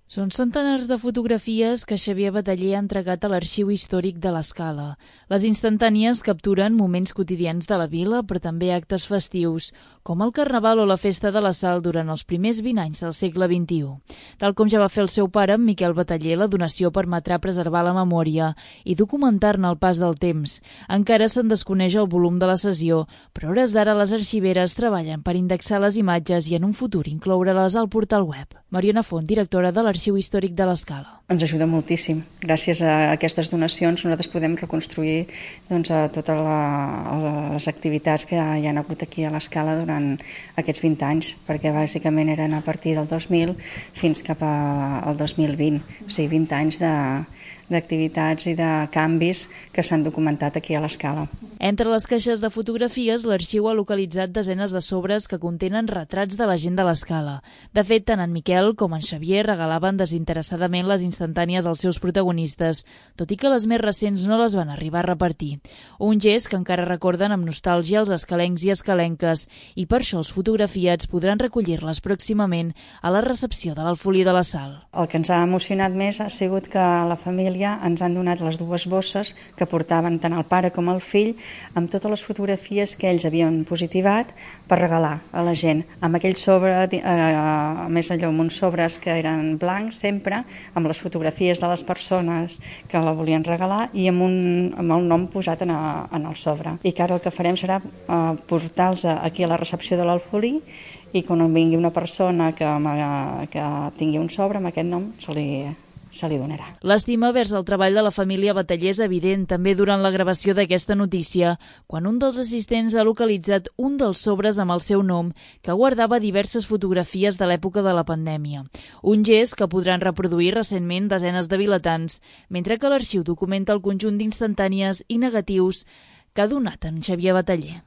Són centenars de fotografies que Xavier Bataller ha entregat a l'Arxiu Històric de l'Escala. Les instantànies capturen moments quotidians de la vila, però també actes festius, com el Carnaval o la Festa de la Sal durant els primers 20 anys del segle XXI. Tal com ja va fer el seu pare, en Miquel Bataller, la donació permetrà preservar la memòria i documentar-ne el pas del temps. Encara se'n desconeix el volum de la sessió, però a hores d'ara les arxiveres treballen per indexar les imatges i en un futur incloure-les al portal web. Mariona Font, directora de l'Arxiu Històric de l'Escala. Ens ajuda moltíssim. Gràcies a aquestes donacions nosaltres podem reconstruir totes les activitats que hi ha hagut aquí a l'Escala durant aquests 20 anys, perquè bàsicament eren a partir del 2000 fins cap al 2020, o sigui 20 anys d'activitats i de canvis que s'han documentat aquí a l'Escala. Entre les caixes de fotografies, l'arxiu ha localitzat desenes de sobres que contenen retrats de la gent de l'Escala. De fet, tant en Miquel com en Xavier regalaven desinteressadament les instantànies als seus protagonistes, tot i que les més recents no les van arribar a repartir. Un gest que encara recorden amb nostàlgia els escalencs i escalenques, i per això els fotografiats podran recollir-les pròximament a la recepció de l'Alfolí de la Sal. El que ens ha emocionat més ha sigut que la família ens han donat les dues bosses que portaven tant el pare com el fill, amb totes les fotografies que ells havien positivat per regalar a la gent. Amb aquell sobre, més allò, amb uns sobres que eren blancs sempre, amb les fotografies de les persones que la volien regalar i amb el nom posat en el sobre. I que ara el que farem serà portar-los aquí a la recepció de l'Alfolí i quan vingui una persona que tingui un sobre amb aquest nom se li donarà. L'estima vers el treball de la família Bataller és evident també durant la gravació d'aquesta notícia, quan un dels assistents ha localitzat un dels sobres amb el seu nom que guardava diverses fotografies de l'època de la pandèmia. Un gest que podran reproduir recentment desenes de vilatans, mentre que l'arxiu documenta el conjunt d'instantànies i negatius que ha donat en Xavier Bataller.